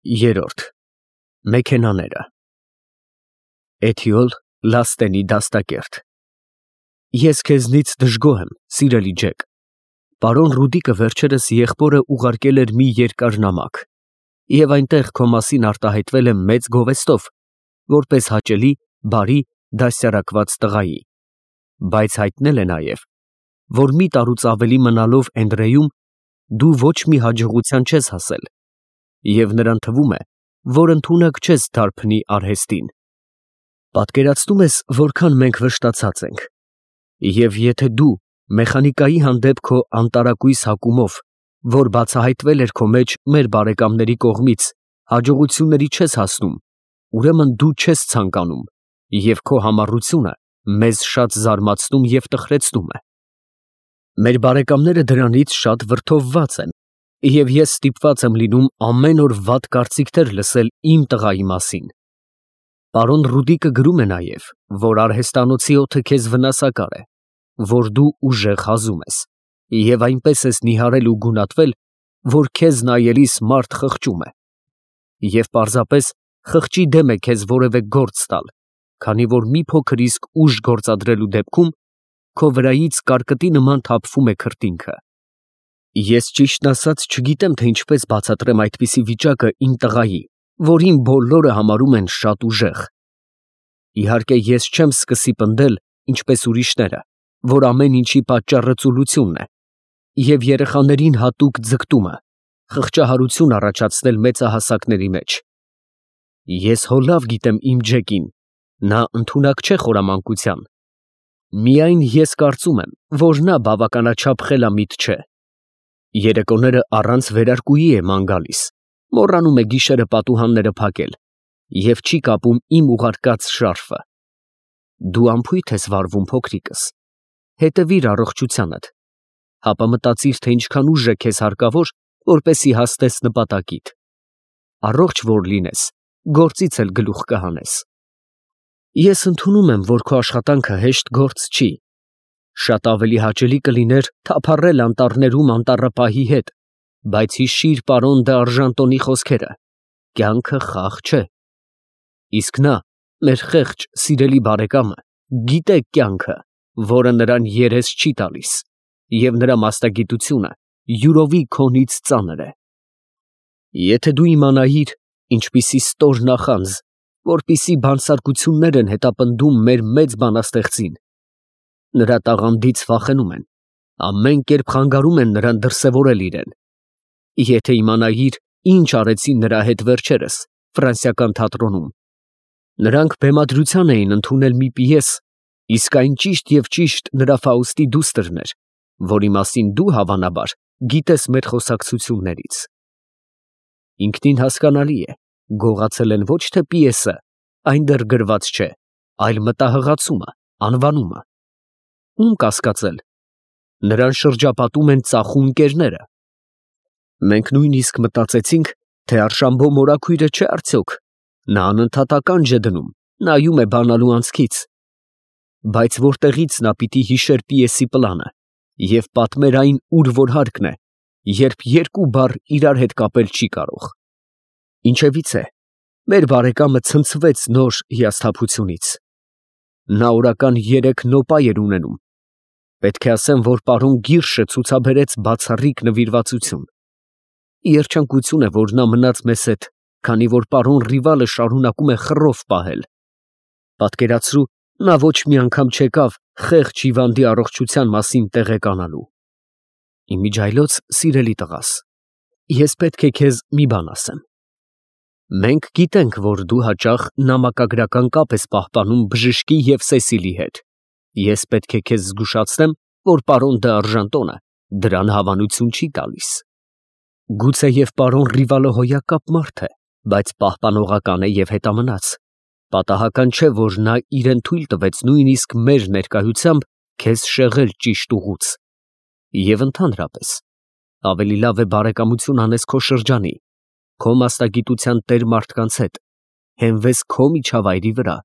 Երրորդ Մեքենաները Էթիոլ Լաստենի դաստակերտ Ես քեզնից դժգոհ եմ, սիրելի Ջեք։ Պարոն Ռուդիկը վերջերս եղբորը ուղարկել էր մի երկար նամակ, և այնտեղ քո մասին արտահայտվել եմ մեծ գովեստով, որպես հաճելի, բարի, դաստիարակված տղայի, բայց հայտնել է նաև, որ մի տարուց ավելի մնալով Էնդրեում դու ոչ մի հաջողության չես հասել, և նրան թվում է, որ ընդունակ չես դարբնի արհեստին։ Պատկերացնում ես, որքան մենք վշտացած ենք, և եթե դու մեխանիկայի հանդեպ քո անտարակույս հակումով, որ բացահայտվել էր քո մեջ մեր բարեկամների կողմից, հաջողությունների չես հասնում, ուրեմն դու չես ցանկանում, և քո համառությունը մեզ շատ զարմացնում և տխրեցնում է։ Մեր բարեկամները դրանից շատ վրդովված են, և ես ստիպված եմ լինում ամեն օր վատ կարծիքներ լսել իմ տղայի մասին։ Պարոն Ռուդիկը գրում է նաև, որ արհեստանոցի օդը քեզ վնասակար է, որ դու ուժեղ հազում ես, և այնպես ես նիհարել ու գունատվել, որ քեզ նայելիս մարդ խղճում է, և պարզապես խղճի դեմ է քեզ որևէ գործ տալ, քանի որ մի փոքր իսկ ուժ գործադրելու դեպքում քո վրայից կարկտի նման թափվում է քրտինքը։ Ես ճիշտն ասած չգիտեմ, թե ինչպես բացատրեմ այդպիսի վիճակը իմ տղայի, որին բոլորը համարում են շատ ուժեղ։ Իհարկե, ես չեմ սկսի պնդել, ինչպես ուրիշները, որ ամեն ինչի պատճառը ծուլությունն է, և երեխաներին հատուկ ձգտումը, խղճահարություն առաջացնել մեծահասակների մեջ։ Ես հո լավ գիտեմ իմ Ջեկին, նա ընդունակ չէ խորամանկության։ Միայն ես կարծում եմ, որ նա բավականաչափ խելամիտ չէ։ Երեկոները առանց վերարկուի է ման գալիս, մոռանում է գիշերը պատուհանները փակել և չի կապում իմ ուղարկած շարֆը։ Դու անփույթ ես վարվում, փոքրիկս, հետևիր առողջությանդ, հապա մտածիր, թե ինչքան ուժ է քեզ հարկավոր, որպեսզի հասնես նպատակիդ։ Առողջ որ լինես, գործից էլ գլուխ կհանես։ Ես ընդունում եմ, որ քո աշխատանքը հեշտ գործ չի։ Շատ ավելի հաճելի կլիներ թափառել անտառներում անտառապահի հետ, բայց հիշիր պարոն դ'Արժանտոնի խոսքերը. կյանքը խաղ չէ։ Իսկ նա, մեր խեղճ, սիրելի բարեկամը, գիտե կյանքը, որը նրան երես չի տալիս, և նրա մասնագիտությունը յուրովի քոնից ծանր է։ Եթե դու իմանայիր, ինչպիսի ստոր նախանձ, որպիսի բանսարկություններ են հետապնդում մեր մեծ բանաստեղծին, նրա տաղանդից վախենում են, ամեն կերպ խանգարում են նրան դրսևորել իրեն։ Եթե իմանայիր, ինչ արեցին նրա հետ վերջերս ֆրանսիական թատրոնում, նրանք բեմադրության էին ընդունել մի պիես, իսկ այն ճիշտ և ճիշտ նրա Ֆաուստի դուստրն էր, որի մասին դու, հավանաբար, գիտես մեր խոսակցություններից։ Ինքնին հասկանալի է, գողացել են ոչ թե պիեսը, այն դեռ գրված չէ, այլ մտահղացումը, անվանումը։ Ում կասկածել, նրան շրջապատում են ծախու ընկերները։ Մենք նույնիսկ մտածեցինք, թե Արշամբո մորաքույրը չէ արդյոք, նա անընդհատ ականջ է դնում, նայում է բանալու անցքից։ Բայց որտեղից նա պիտի հիշեր պիեսի պլանը և պատմեր այն, ուր որ հարկն է, երբ երկու բառ իրար հետ կապել չի կարող։ Ինչևիցե, մեր բարեկամը ցնցվեց նոր հիասթափությունից։ Նա օրական 3 նոպա էր ունենում։ Պետք է ասեմ, որ պարոն Գիրշը ցուցաբերեց բացառիկ նվիրվածություն։ Երջանկություն է, որ նա մնաց մեզ հետ, քանի որ պարոն Ռիվալը շարունակում է խռով պահել։ Պատկերացրու, նա ոչ մի անգամ չեկավ խեղճ հիվանդի առողջության մասին տեղեկանալու։ Իմիջիայլոց, սիրելի տղաս, ես պետք է քեզ մի բան ասեմ։ Մենք գիտենք, որ դու հաճախ նամակագրական կապ ես պահպանում բժշկի և Սեսիլի հետ։ Ես պետք է քեզ զգուշացնեմ, որ պարոն դ'Արժանտոնը դրան հավանություն չի տալիս։ Գուցեև պարոն Ռիվալը հոյակապ մարդ է, բայց պահպանողական է և հետամնաց։ Պատահական չէ, որ նա իրեն թույլ տվեց նույնիսկ մեր ներկայությամբ քեզ շեղել ճիշտ ուղուց։ Եվ ընդհանրապես, ավելի լավ է բարեկամություն անես քո շրջանի, քո մասնագիտության տեր մարդկանց հետ, հենվես քո միջավայրի վրա։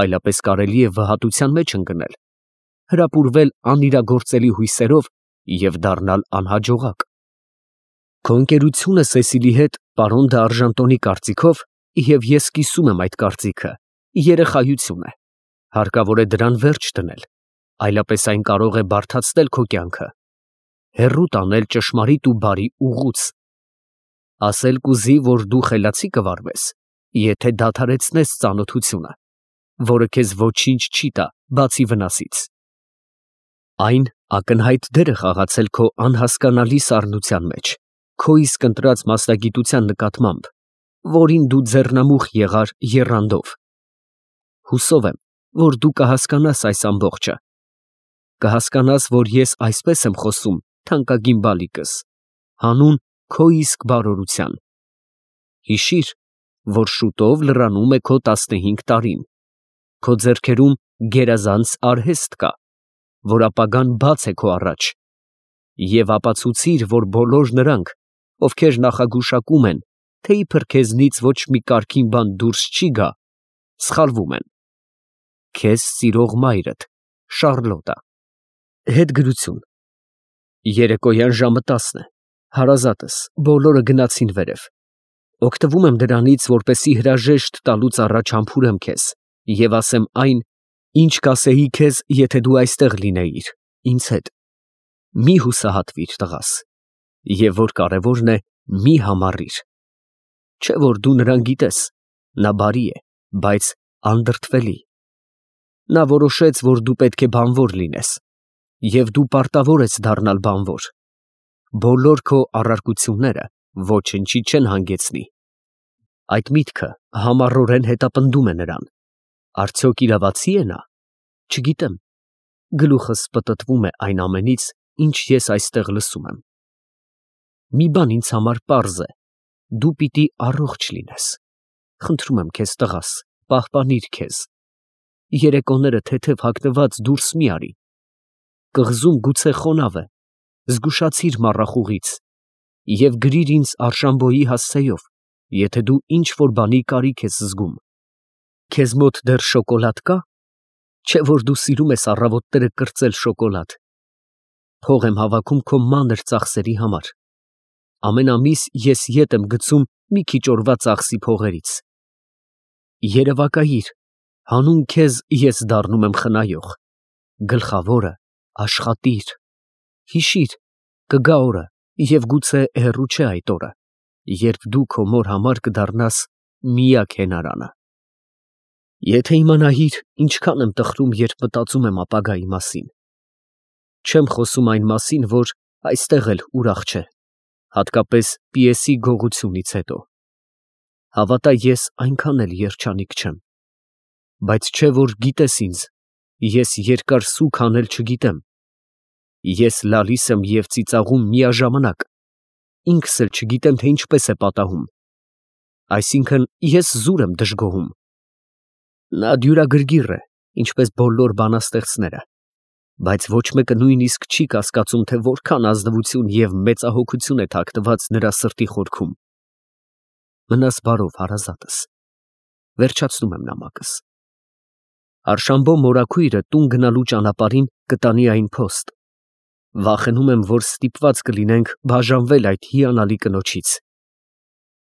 Այլապես կարելի է վհատության մեջ ընկնել, հրապուրվել անիրագործելի հույսերով և դառնալ անհաջողակ։ Քո ընկերությունը Սեսիլի հետ պարոն դե Արժանտոնի կարծիքով, եւ ես կիսում եմ այդ կարծիքը, երեխայություն է, հարկավոր է դրան վերջ դնել, այլապես այն կարող է բարդացնել քո կյանքը, հեռու տանել ճշմարիտ ու բարի ուղուց, ասել կուզի, որ դու խելացի կվարվես, եթե դադարեցնես ծանոթությունը, որը քեզ ոչինչ չի տա, բացի վնասից։ Այն ակնհայտ դեր է խաղացել քո անհասկանալի սառնության մեջ, քո իսկ ընտրած մասնագիտության նկատմամբ, որին դու ձեռնամուխ եղար եռանդով։ Հուսով եմ, որ դու կհասկանաս այս ամբողջը, կհասկանաս, որ ես այսպես եմ խոսում, թանկագին բալիկս, հանուն քո իսկ բարօրության։ Հիշիր, որ շուտով լրանում է քո 15 տարին, քո ձեռքերում գերազանց արհեստ կա, որ ապագան բաց է քո առաջ, և ապացուցիր, որ բոլոր նրանք, ովքեր նախագուշակում են, թե իբր քեզնից ոչ մի կարգին բան դուրս չի գա, սխալվում են։ Քեզ սիրող մայրդ, Շառլոտա։ Հետգրություն։ Երեկոյան ժամը 10 է, հարազատս, բոլորը գնացին վերև։ Օգտվում եմ դրանից, որպեսզի հրաժեշտ տալուց առաջ համբուրեմ քեզ և ասեմ այն, ինչ կասեի քեզ, եթե դու այստեղ լինեիր, ինձ հետ։ Մի հուսահատվիր, տղաս, և որ կարևորն է, մի համառիր։ Չէ որ դու նրան գիտես, նա բարի է, բայց անդրդվելի։ Նա որոշեց, որ դու պետք է բանվոր լինես, և դու պարտավոր ես դառնալ բանվոր։ Բոլոր քո առարկությունները ոչնչի չեն հանգեցնի։ Այդ միտքը համառորեն հետապնդում է նրան։ Արդյոք իրավացի է նա։ Չգիտեմ։ Գլուխս պտտվում է այն ամենից, ինչ ես այստեղ լսում եմ։ Մի բան ինձ համար պարզ է. դու պիտի առողջ լինես։ Խնդրում եմ քեզ, տղաս, պահպանիր քեզ։ Երեկոները թեթև հագնված դուրս մի արի։ Կղզում գուցե խոնավ է, զգուշացիր մառախուղից և գրիր ինձ Արշամբոյի հասցեով, եթե դու ինչ որ բանի կարիք ես զգում։ Քեզ մոտ դեռ շոկոլադ կա։ Չէ որ դու սիրում ես առավոտները կրծել շոկոլադ։ Փող եմ հավաքում քո մանր ծախսերի համար։ Ամեն ամիս ես ետ եմ գցում մի քիչ օրվա ծախսի փողերից։ Երևակայիր, հանուն քեզ ես դառնում եմ խնայող։ Գլխավորը աշխատիր։ Հիշիր, կգա օրը, և գուցե հեռու չէ այդ օրը, երբ դու քո մոր համար կդառնաս միակ հենարանը։ Եթե իմանայիր, ինչքան եմ տխրում, երբ մտածում եմ ապագայի մասին։ Չեմ խոսում այն մասին, որ այստեղ էլ ուրախ չէ, հատկապես պիեսի գողությունից հետո։ Հավատա, ես այնքան էլ երջանիկ չեմ։ Բայց չէ որ գիտես ինձ, ես երկար սուգ անել չգիտեմ։ Ես լալիս եմ և ծիծաղում միաժամանակ, ինքս էլ չգիտեմ, թե ինչպես է պատահում։ Այսինքն ես զուր եմ դժգոհում։ Նա դյուրագրգիռ է, ինչպես բոլոր բանաստեղծները, բայց ոչ մեկը նույնիսկ չի կասկածում, թե որքան ազնվություն և մեծահոգություն է թաքնված նրա սրտի խորքում։ Մնաս բարով, հարազատս։ Վերջացնում եմ նամակս։ Արշամբո մորաքույրը տուն գնալու ճանապարհին կտանի այն փոստ։ Վախենում եմ, որ ստիպված կլինենք բաժանվել այդ հիանալի կնոջից։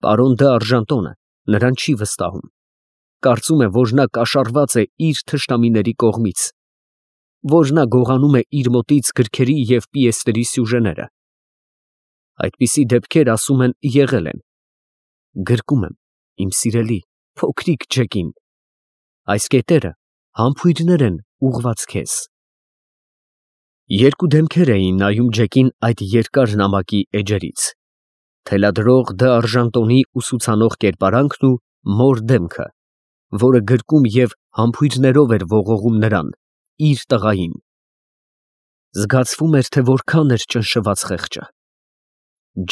Պարոն դը Արժանտոնը նրան չի վստահում։ Կարծում է, որ նա կաշառված է իր թշնամիների կողմից, որ նա գողանում է իր մոտից գրքերի և պիեսների սյուժեները։ Այդպիսի դեպքեր, ասում են, եղել են։ Գրկում եմ, իմ սիրելի, փոքրիկ Ջեկին։ Այս կետերը համբույրներ են ուղղված քեզ։ Երկու դեմքեր էին նայում Ջեկին այդ երկար նամակի էջերից. թելադրող դը Արժանտոնի ուսուցանող կերպարանքն ու մոր դեմքը, որը գրկում և համբույրներով էր ողողում նրան, իր տղային։ Զգացվում էր, թե որքան էր ճնշված խեղճը։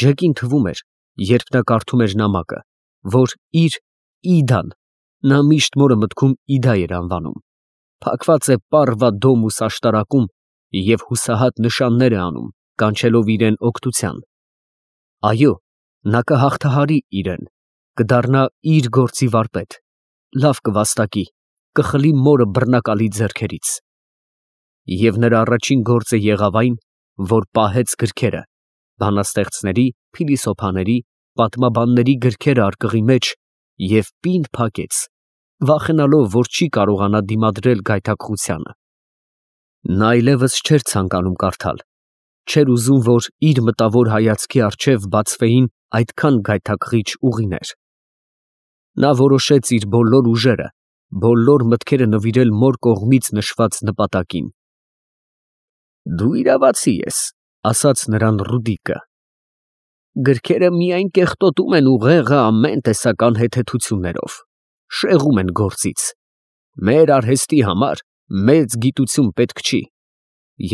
Ջեկին թվում էր, երբ նա կարդում էր նամակը, որ իր Իդան, նա միշտ մորը մտքում Իդա էր անվանում, փակված է պառվա դոմուս աշտարակում և հուսահատ նշաններ է անում, կանչելով իրեն օգնության։ Այո, նա կհաղթահարի իրեն, կդառնա իր գործի վարպետ, լավ կվաստակի, կխլի մորը բռնակալի ձեռքերից։ Եվ նրա առաջին գործը եղավ այն, որ պահեց գրքերը, բանաստեղծների, փիլիսոփաների, պատմաբանների գրքերը արկղի մեջ և պինդ փակեց, վախենալով, որ չի կարողանա դիմադրել գայթակղությանը։ Նա այլևս չէր ցանկանում կարդալ, չէր ուզում, որ իր մտավոր հայացքի առջև բացվեին այդքան գայթակղիչ ուղիներ։ Նա որոշեց իր բոլոր ուժերը, բոլոր մտքերը նվիրել մոր կողմից նշված նպատակին։ «Դու իրավացի ես», ասաց նրան Ռուդիկը։ «Գրքերը միայն կեղտոտում են ուղեղը ամեն տեսական հետեթություններով, շեղում են գործից։ Մեր արհեստի համար մեծ գիտություն պետք չի,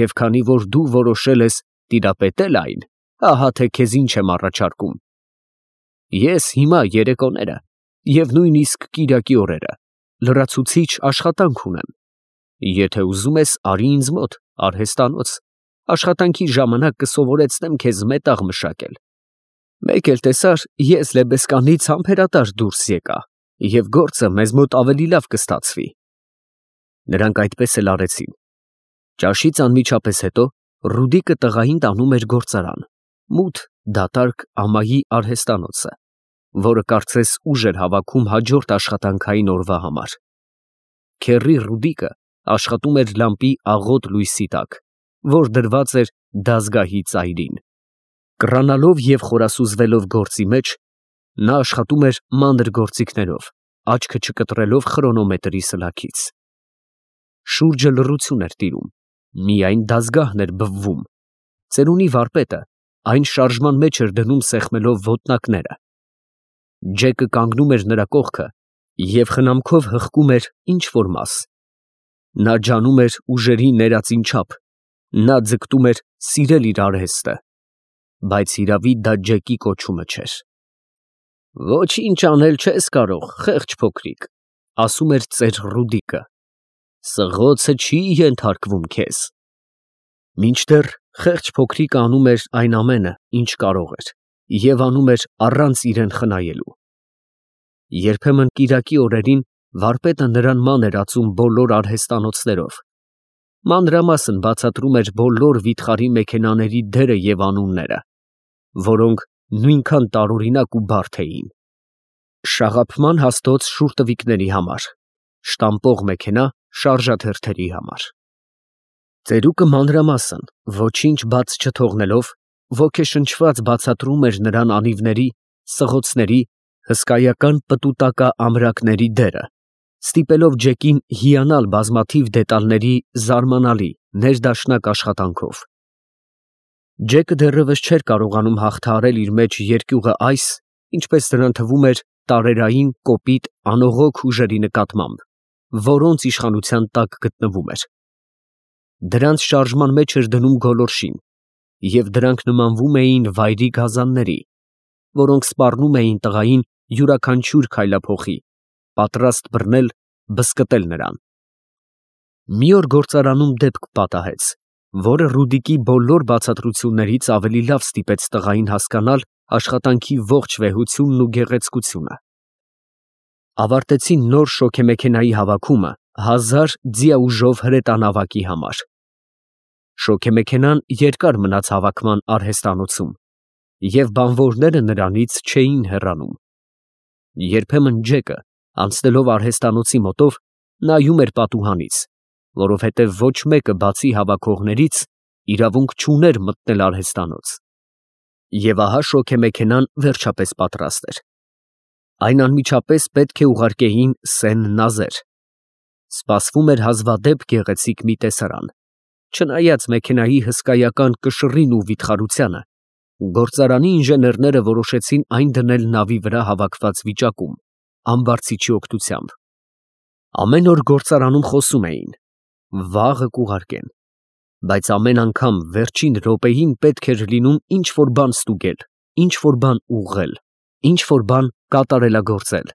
և քանի որ դու որոշել ես տիրապետել այն, ահա թե քեզ ինչ եմ առաջարկում։ Ես հիմա երեկոները և նույնիսկ կիրակի օրերը լրացուցիչ աշխատանք ունեմ։ Եթե ուզում ես, արի ինձ մոտ արհեստանոց, աշխատանքի ժամանակ կսովորեցնեմ քեզ մետաղ մշակել։ Մեկ էլ տեսար, ես Լեբեսկանից համբերատար դուրս եկա, և գործը մեզ մոտ ավելի լավ կստացվի»։ Նրանք այդպես էլ արեցին։ Ճաշից անմիջապես հետո Ռուդիկը տղային տանում էր գործարան, մութ, դատարկ ամայի արհեստանոցը, որը կարծես ուժ էր հավաքում հաջորդ աշխատանքային օրվա համար։ Քեռի Ռուդիկը աշխատում էր լամպի աղոտ լույսի տակ, որ դրված էր դազգահի ծայրին։ Կռանալով և խորասուզվելով գործի մեջ, նա աշխատում էր մանր գործիքներով, աչքը չկտրելով խրոնոմետրի սլաքից։ Շուրջը լռություն էր տիրում, միայն դազգահն էր բվվում։ Ծերունի վարպետը այն շարժման մեջ էր դնում սեղմելով ոտնակները։ Ջեկը կանգնում էր նրա կողքը և խնամքով հղկում էր ինչ֊որ մաս։ Նա ջանում էր ուժերի ներածին չափ, նա ձգտում էր սիրել իր արհեստը, բայց հիրավի դա Ջեկի կոչումը չէր։ «Ոչինչ անել չես կարող, խեղճ փոքրիկ», ասում էր ծեր Ռուդիկը։ «Սղոցը չի ենթարկվում քեզ»։ Մինչդեռ խեղճ փոքրիկը անում էր այն ամենը, ինչ կարող էր, և անում էր առանց իրեն խնայելու։ Երբեմն կիրակի օրերին վարպետը նրան ման էր ածում բոլոր արհեստանոցներով, մանրամասն բացատրում էր բոլոր վիթխարի մեքենաների դերը և անունները, որոնք նույնքան տարօրինակ ու բարդ էին. շաղափման հաստոց շուրտվիկների համար, շտամպող մեքենա շարժաթերթերի համար։ Ծերուկը մանրամասն, ոչինչ բաց չթողնելով, ոգեշնչված բացատրում էր նրան անիվների, սղոցների, հսկայական պտուտակաամրակների դերը, ստիպելով Ջեկին հիանալ բազմաթիվ դետալների զարմանալի, ներդաշնակ աշխատանքով։ Ջեկը դեռևս չէր կարողանում հաղթահարել իր մեջ երկյուղը այս, ինչպես նրան թվում էր, տարերային, կոպիտ, անողոք ուժերի նկատմամբ, որոնց իշխանության տակ գտնվում էր։ Դրանց շարժման մեջ էր դնում գոլորշին, և դրանք նմանվում էին վայրի գազանների, որոնք սպառնում էին տղային յուրաքանչյուր քայլափոխի, պատրաստ բռնել, բզկտել նրան։ Մի օր գործարանում դեպք պատահեց, որը Ռուդիկի բոլոր բացատրություններից ավելի լավ ստիպեց տղային հասկանալ աշխատանքի ողջ վեհությունն ու գեղեցկությունը։ Ավարտեցին նոր շոգեմեքենայի հավաքումը 1000 ձիաուժով հրետանավակի համար։ Շոգեմեքենան երկար մնաց հավաքման արհեստանոցում, և բանվորները նրանից չէին հեռանում։ Երբեմն Ջեկը, անցնելով արհեստանոցի մոտով, նայում էր պատուհանից, որովհետև ոչ մեկը բացի հավաքողներից իրավունք չուներ մտնել արհեստանոց։ Եվ ահա շոգեմեքենան վերջապես պատրաստ էր։ Այն անմիջապես պետք է ուղարկեին Սեն֊Նազեր։ Սպասվում էր հազվադեպ գեղեցիկ մի տեսարան։ Չնայած մեքենայի հսկայական կշռին ու վիթխարությանը, գործարանի ինժեներները որոշեցին այն դնել նավի վրա հավաքված վիճակում, ամբարձիչի օգնությամբ։ Ամեն օր գործարանում խոսում էին. վաղը կուղարկեն, բայց ամեն անգամ վերջին րոպեին պետք էր լինում ինչ֊որ բան ստուգել, ինչ֊որ բան ուղղել, ինչ֊որ բան կատարելագործել։